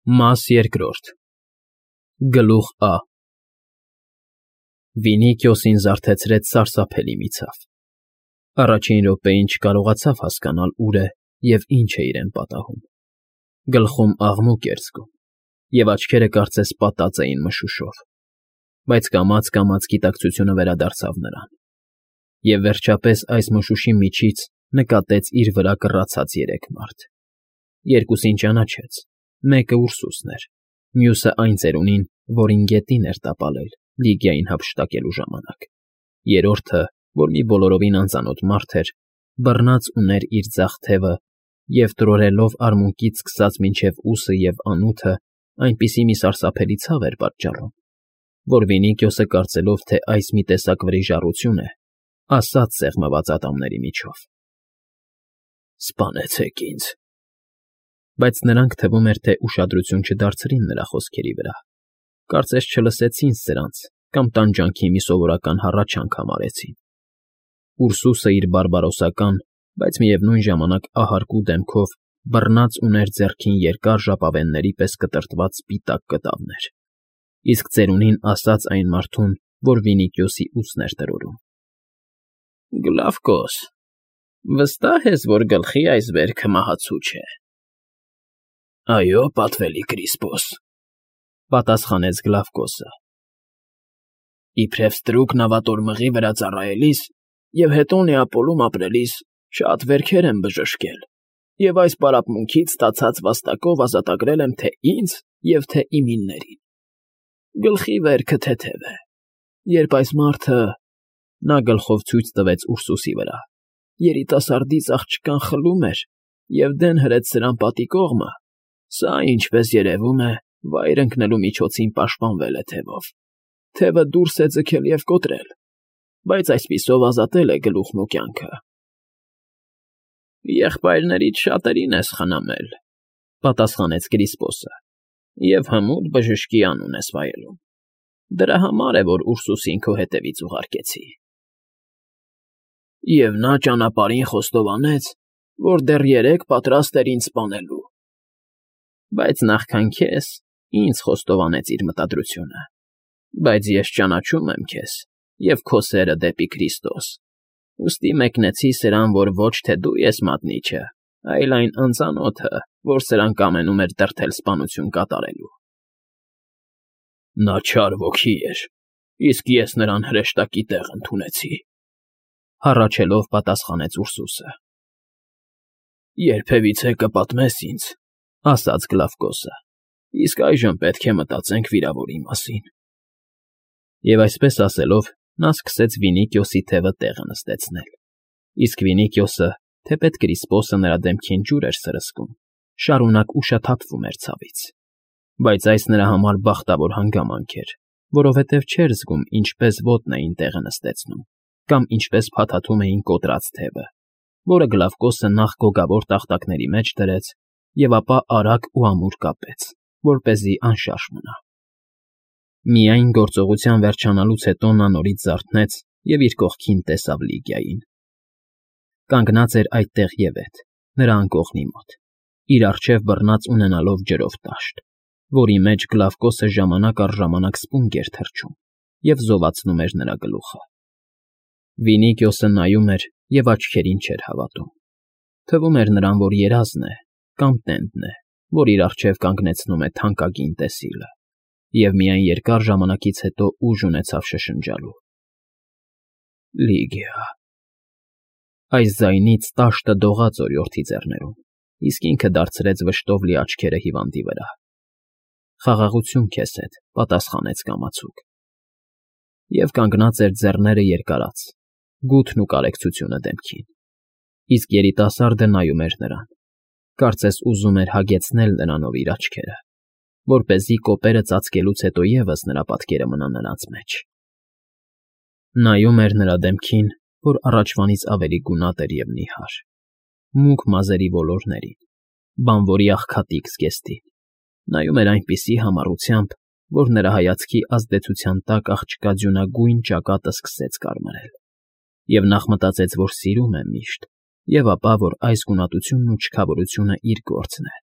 Մաս երկրորդ Գլուխ Ա Վինիքիոսին զարթեցրեց սարսափելի մի ցավ։ Առաջին րոպեին չկարողացավ հասկանալ ուր է և ինչ է իրեն պատահում։ Գլխում աղմուկ էր զգում, և աչքերը կարծես պատած էին մշուշով, բայց կամաց֊կամաց գիտակցությունը վերադարձավ նրան։ Եվ վերջապես այս մշուշի միջից նկատեց իր վրա կռացած երեք մարդ։ Երկուսին ճանաչեց, մեկը Ուրսուսն էր, մյուսը այն ծերունին, որին գետին էր տապալել Լիգիային հափշտակելու ժամանակ։ Երրորդը, որ մի բոլորովին անծանոթ մարդ էր, բռնած ուներ իր ձախ թևը և տրորելով արմունկից սկսած մինչև ուսը և անութը այնպիսի մի սարսափելի ցավ էր պատճառում, որ Վինիքիոսը կարծելով, թե այս մի տեսակ վրիժառություն է, ասաց սեղմված ատամների միջով. «Սպանեցեք ինձ»։ Բայց նրանք թվում էր, թե ուշադրություն չդարձրին նրա խոսքերի վրա, կարծես չլսեցին սրանց կամ տանջանքի մի սովորական հառաչանք համարեցին։ Ուրսուսը իր բարբարոսական, բայց միևնույն ժամանակ ահարկու դեմքով բռնած ուներ ձեռքին երկար ժապավենների պես կտրտված սպիտակ կտավներ, իսկ ծերունին ասաց այն մարդուն, որ Վինիքիոսի ուսն էր տրորում. «Գլավկոս, վստահ ես, որ գլխի այս վերքը մահացու չէ»։ «Այո, պատվելի Կրիսպոս», պատասխանեց Գլավկոսը։ «Իբրև ստրուկ նավատորմղի վրա ծառայելիս և հետո Նեապոլում ապրելիս շատ վերքեր եմ բժշկել և այս պարապմունքից ստացած վաստակով ազատագրել եմ թե՛ ինձ և թե՛ իմիններին։ Գլխի վերքը թեթև է, երբ այս մարդը…» նա գլխով ցույց տվեց Ուրսուսի վրա, «երիտասարդից աղջկան խլում էր և դեն հրեց սրան պատի կողմը, սա, ինչպես երևում է, վայր ընկնելու միջոցին պաշտպանվել է թևով։ Թևը դուրս է ձգել և կոտրել, բայց այսպիսով ազատել է գլուխն ու կյանքը»։ «Եղբայրներիդ շատերին ես խնամել», պատասխանեց Կրիսպոսը, «և հմուտ բժշկի անուն ես վայելում։ Դրա համար է, որ Ուրսուսին քո հետևից ուղարկեցի»։ «Եվ նա ճանապարհին խոստովանեց, որ դեռ երեկ պատրաստ էր ինձ սպանելու»։ «Բայց նախքան քեզ ինձ խոստովանեց իր մտադրությունը։ Բայց ես ճանաչում եմ քեզ և քո սերը դեպի Քրիստոս, ուստի մեկնեցի սրան, որ ոչ թե դու ես մատնիչը, այլ այն անծանոթը, որ սրան կամենում էր դրդել սպանություն կատարելու»։ «Նա չար ոգի էր, իսկ ես նրան հրեշտակի տեղ ընդունեցի», հառաչելով պատասխանեց Ուրսուսը։ «Երբևիցե կպատմես ինձ», ասաց Գլավկոսը, «իսկ այժմ պետք է մտածենք վիրավորի մասին»։ Եվ այսպես ասելով, նա սկսեց Վինիքիոսի թևը տեղը նստեցնել, իսկ Վինիքիոսը, թեպետ Կրիսպոսը նրա դեմքին ջուր էր սրսկում, շարունակ ուշաթափվում էր ցավից։ Բայց այս նրա համար բախտավոր հանգամանք էր, որովհետև չէր զգում ինչպես ոտն էին տեղը նստեցնում կամ ինչպես փաթաթում էին կոտրած թևը, որը Գլավկոսը նախ գոգավոր տախտակների մեջ դրեց և ապա արագ ու ամուր կապեց, որպեսզի անշարժ մնա։ Միայն գործողության վերջանալուց հետո նա նորից զարթնեց և իր կողքին տեսավ Լիգիային։ Կանգնած էր այդտեղ ևեթ, նրա անկողնի մոտ, իր առջև բռնած ունենալով ջրով տաշտ, որի մեջ Գլավկոսը ժամանակ առ ժամանակ սպունգ էր թռչում և զովացնում էր նրա գլուխը։ Վինիքիոսը նայում էր և աչքերին չէր հավատում։ Թվում էր նրան, որ երազն է կամ տենդն է, որ իր առջև կանգնեցնում է թանկագին տեսիլը, և միայն երկար ժամանակից հետո ուժ ունեցավ շշնջալու. «Լիգիա»։ Այս ձայնից տաշտը դողաց օրիորդի ձեռներում, իսկ ինքը դարձրեց վշտով լի աչքերը հիվանդի վրա։ «Խաղաղություն քեզ հետ», պատասխանեց կամացուկ։ Եվ կանգնած էր ձեռները երկարած, գութն ու կարեկցությունը դեմքին, իսկ երիտասարդը նայում էր նրան, կարծես ուզում էր հագեցնել նրանով իր աչքերը, որպեսզի կոպերը ծածկելուց հետո ևս նրա պատկերը մնա նրանց մեջ։ Նայում էր նրա դեմքին, որ առաջվանից ավելի գունատ էր և նիհար, մուգ մազերի ոլորներին, բանվորի աղքատիկ զգեստին, նայում էր այնպիսի համառությամբ, որ նրա հայացքի ազդեցության տակ աղջկա ձյունագույն ճակատը սկսեց կարմրել, և նախ մտածեց, որ սիրում է միշտ, և ապա, որ այս գունատությունն ու չքավորությունը իր գործն է,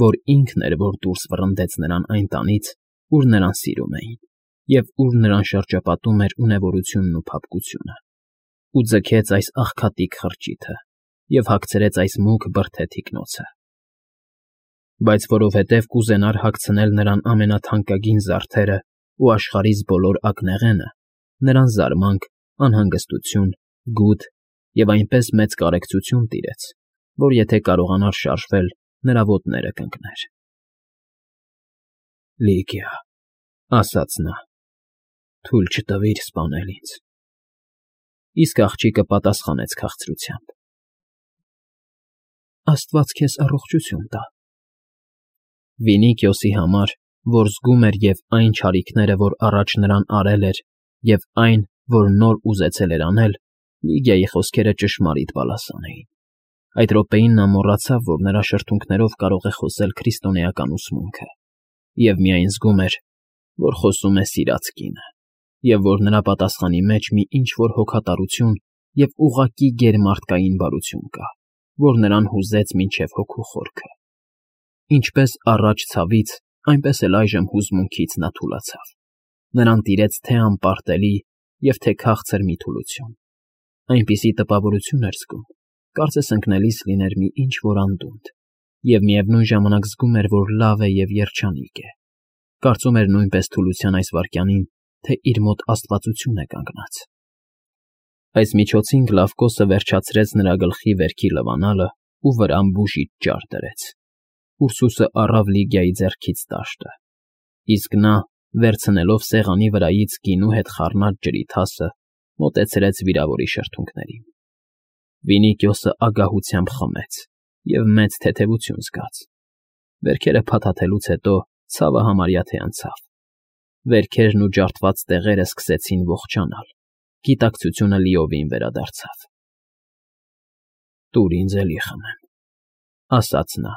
որ ինքն էր, որ դուրս վռնդեց նրան այն տանից, ուր նրան սիրում էին, և ուր նրան շրջապատում էր ունևորությունն ու փափկությունը, ու ձգեց այս աղքատիկ խրճիթը և հագցրեց այս մուգ բրդե թիկնոցը։ Բայց որովհետև կուզենար հագցնել նրան ամենաթանկագին զարդերը ու աշխարհիս բոլոր ակնեղենը, նրան զարմանք, անհանգստություն, գութ և այնպես մեծ կարեկցություն տիրեց, որ եթե կարողանար շարժվել, նրա ոտները կընկներ։ «Լիգիա», ասաց նա, թույլ չտվիր սպանել ինձ։ Իսկ աղջիկը պատասխանեց քաղցրությամբ. «Աստված քեզ առողջություն տա»։ Վինիքիոսի համար, որ զգում էր և այն չարիքները, որ առաջ նրան արել էր, և այն, որ նոր ուզեցել էր անել, Լիգիայի խոսքերը ճշմարիտ բալասան էին։ Այդ րոպեին նա մոռացավ, որ նրա շրթունքներով կարող է խոսել քրիստոնեական ուսմունքը, և միայն զգում էր, որ խոսում է սիրած կինը, և որ նրա պատասխանի մեջ մի ինչ֊որ հոգատարություն և ուղղակի գերմարդկային բարություն կա, որ նրան հուզեց մինչև հոգու խորքը։ Ինչպես առաջ ցավից, այնպես էլ այժմ հուզմունքից նա թուլացավ։ Նրան տիրեց թե անպարտելի և թե քաղցր մի թուլություն։ Այնպիսի տպավորություն էր զգում, կարծես ընկնելիս լիներ մի ինչ֊որ անդունդ, և միևնույն ժամանակ զգում էր, որ լավ է և երջանիկ է։ Կարծում էր նույնպես թուլության այս վայրկյանին, թե իր մոտ աստվածություն է կանգնած։ Այս միջոցին Գլավկոսը վերջացրեց նրա գլխի վերքի լվանալը ու վրան բուժիչ ջահ դրեց։ Ուրսուսը առավ Լիգիայի ձեռքից տաշտը, իսկ նա, վերցնելով սեղանի վրայից գինու հետ խառնած ջրի թասը, մոտեցրեց վիրավորի շրթունքներին։ Վինիքիոսը ագահությամբ խմեց և մեծ թեթևություն զգաց։ Վերքերը փաթաթելուց հետո ցավը համարյա թե անցավ։ Վերքերն ու ջարդված տեղերը սկսեցին ողջանալ, գիտակցությունը լիովին վերադարձավ։ «Տուր ինձ էլի խմեմ», ասաց նա։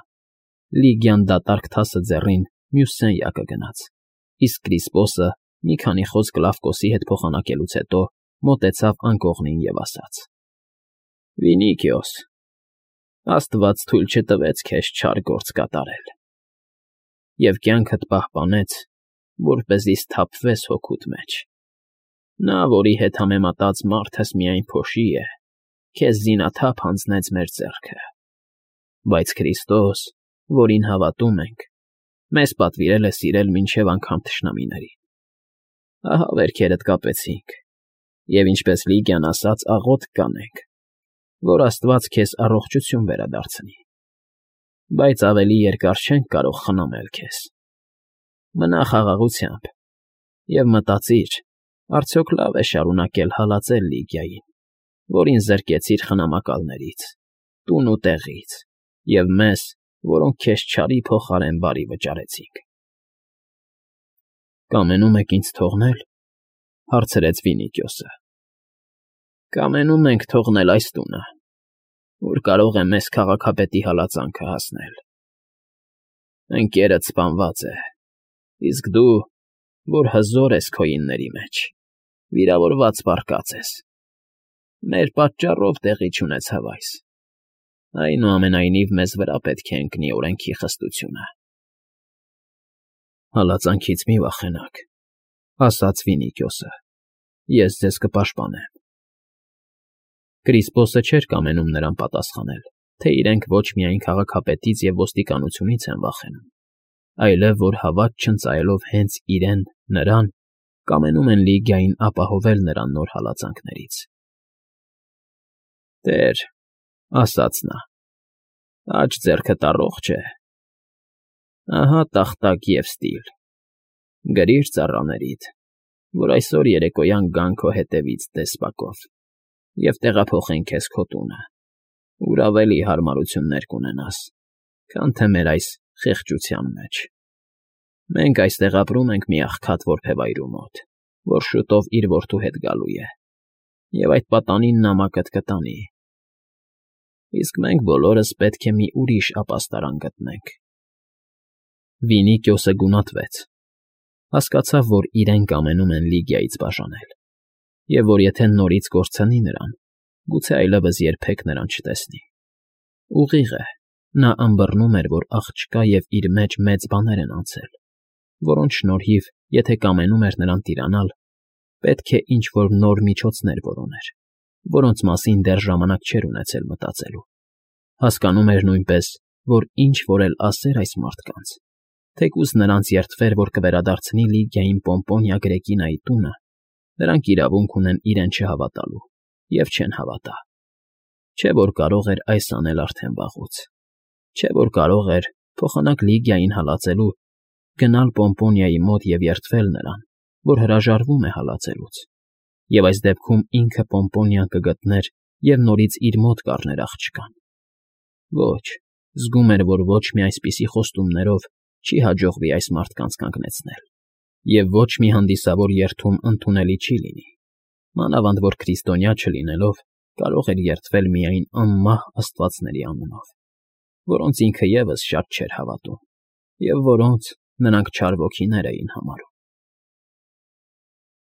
Լիգիան դատարկ թասը ձեռին մյուս սենյակը գնաց, իսկ Կրիսպոսը, մի քանի խոսք Գլավկոսի հետ փոխանակելուց հետո, մոտեցավ անկողնին և ասաց. «Վինիքիոս, Աստված թույլ չտվեց քեզ չար գործ կատարել և կյանքդ պահպանեց, որպեսզի սթափվես հոգուդ մեջ։ Նա, որի հետ համեմատած մարդս միայն փոշի է, քեզ զինաթափ հանձնեց մեր ձեռքը, բայց Քրիստոս, որին հավատում ենք, մեզ պատվիրել է սիրել մինչև անգամ թշնամիներին։ Ահա վերքերդ կապեցինք, և ինչպես Լիգիան ասաց, աղոթք կանենք, որ Աստված քեզ առողջություն վերադարձնի, բայց ավելի երկար չենք կարող խնամել քեզ։ Մնա խաղաղությամբ և մտածիր, արդյոք լավ է շարունակել հալածել Լիգիային, որին զրկեցիր խնամակալներից, տուն ու տեղից, և մեզ, որոնք քեզ չարի փոխարեն բարի վճարեցինք։ «Կամենում եք ինձ թողնել», հարցրեց Վինիքիոսը։ «Կամենում ենք թողնել այս տունը, որ կարող է մեզ քաղաքապետի հալածանքը հասնել։ Ընկերդ սպանված է, իսկ դու, որ հզոր ես քոյինների մեջ, վիրավորված պառկած ես։ Մեր պատճառով տեղի չունեցավ այս։ Այնուամենայնիվ մեզ վրա պետք է ընկնի օրենքի խստությունը»։ «Հալածանքից մի վախենաք», ասաց Վինիքիոսը։ «Ես ձեզ կպաշտպանեմ»։ Կրիսպոսը չէր կամենում նրան պատասխանել, թե իրենք ոչ միայն քաղաքապետից և ոստիկանությունից են վախենում, այլև որ հավատ չընծայելով հենց իրեն, նրան, կամենում են Լիգիային ապահովել նրան նոր հալածանքներից։ «Տեր», ասաց նա, «աջ ձեռքդ առողջ է։ Ահա տախտակ և ստիլ։ Գրիր ծառաներիդ, որ այսօր երեկոյան գան քո հետևից դեսպակով և տեղափոխեն քեզ քո տունը, ուր ավելի հարմարություններ կունենաս, քան թե մեր այս խեղճության մեջ։ Մենք այստեղ ապրում ենք մի աղքատ որբևայրու մոտ, որ շուտով իր որդու հետ գալու է, և այդ պատանին նամակդ կտանի։ Իսկ մենք բոլորս պետք է մի ուրիշ ապաստարան գտնենք»։ Վինիքիոսը գունատվեց։ Հասկացավ, որ իրեն կամենում են Լիգիայից բաժանել, և որ եթե նորից կորցնի նրան, գուցե այլևս երբեք նրան չտեսնի։ Ուղիղ է, Նա ըմբռնում էր, որ աղջկա և իր մեջ մեծ բաներ են անցել, որոնց շնորհիվ, եթե կամենում էր նրան տիրանալ, պետք է ինչ֊որ նոր միջոցներ որոներ, որոնց մասին դեռ ժամանակ չէր ունեցել մտածելու. հասկանում էր նույնպես, որ ինչ֊որ էլ ասեր այս մարդկանց, թեկուզ նրանց երդվեր, որ կվերադարձնի Լիգիային Պոմպոնիա Գրեկինայի տունը, նրանք իրավունք ունեն իրեն չհավատալու և չեն հավատա. չէ՞ որ կարող էր այս անել արդեն վաղուց, չէ՞ որ կարող էր, փոխանակ Լիգիային հալածելու, գնալ Պոմպոնիայի մոտ և երդվել նրան, որ հրաժարվում է հալածելուց, և այս դեպքում ինքը Պոմպոնիան կգտներ և նորից իր մոտ կառներ աղջկան. Ոչ, զգում էր, որ ոչ մի այսպիսի խոստումներով չի հաջողվի այս մարդկանց կանգնեցնել, և ոչ մի հանդիսավոր երդում ընդունելի չի լինի, մանավանդ որ քրիստոնյա չլինելով կարող էր երդվել միայն անմահ աստվածների անունով, որոնց ինքը ևս շատ չէր հավատում և որոնց նրանք չար ոգիներ էին համարում։